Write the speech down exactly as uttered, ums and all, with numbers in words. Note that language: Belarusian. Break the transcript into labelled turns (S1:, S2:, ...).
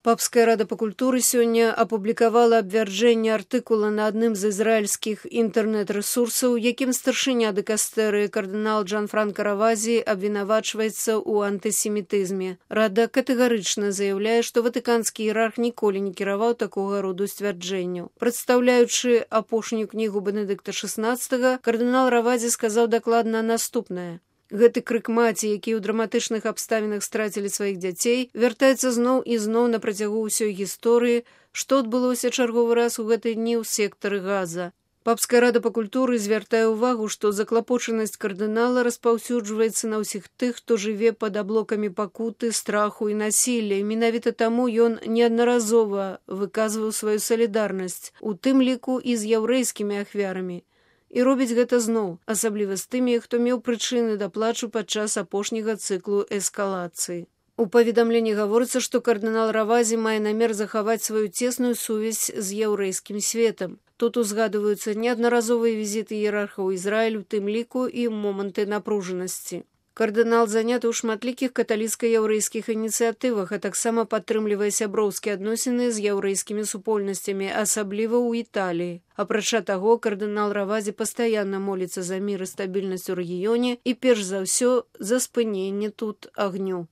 S1: Папская рада па культуры сёння апублікавала абвярджэнне артыкула на адным з ізраільскіх інтэрнэт-рэсурсаў, якім старшыня дыкастэрыі кардынал Джанфранка Равазі абвінавачваецца ў антысемітызме. Рада катэгарычна заяўляе, што ватыканскі іерарх ніколі не кіраваў такога роду сцвярджэнняў. Прадстаўляючы апошнюю кнігу Бенедыкта шаснаццатага, кардынал Равазі сказаў дакладна наступнае. Гэты крык маці, якія ў драматычных абставінах страцілі сваіх дзяцей, вяртаецца зноў і зноў на працягу ўсёй гісторыі, што адбылося чарговы раз у гэты дні ў сектары Газа. Папская рада па культуры звяртае ўвагу, што заклапочанасць кардынала распаўсюджваецца на ўсіх тых, хто жыве пад аблокамі пакуты, страху і насілля. Менавіта таму ён неаднаразова выказваў сваю салідарнасць, у тым ліку і з яўрэйскімі ахвярамі. І робіць гэта зноў, асабліва з тымі, хто меў прычыны да плачу падчас апошняга цыклу эскалацыі. У паведамленні гаворыцца, што кардынал Равазі мае намер захаваць сваю цесную сувязь з яўрэйскім светам. Тут узгадваюцца неаднаразовыя візіты іерарха ў Ізраіль, у тым ліку і моманты напружанасці. Кардынал заняты ў шматлікіх каталіцка-яўрэйскіх ініцыятывах, а таксама падтрымлівае сяброўскія адносіны з яўрэйскімі супольнасцямі, асабліва ў Італіі. Апрача таго, кардынал Равазі пастаянна моліцца за мір і стабільнасць у рэгіёне і перш за ўсё за спыненне тут агню.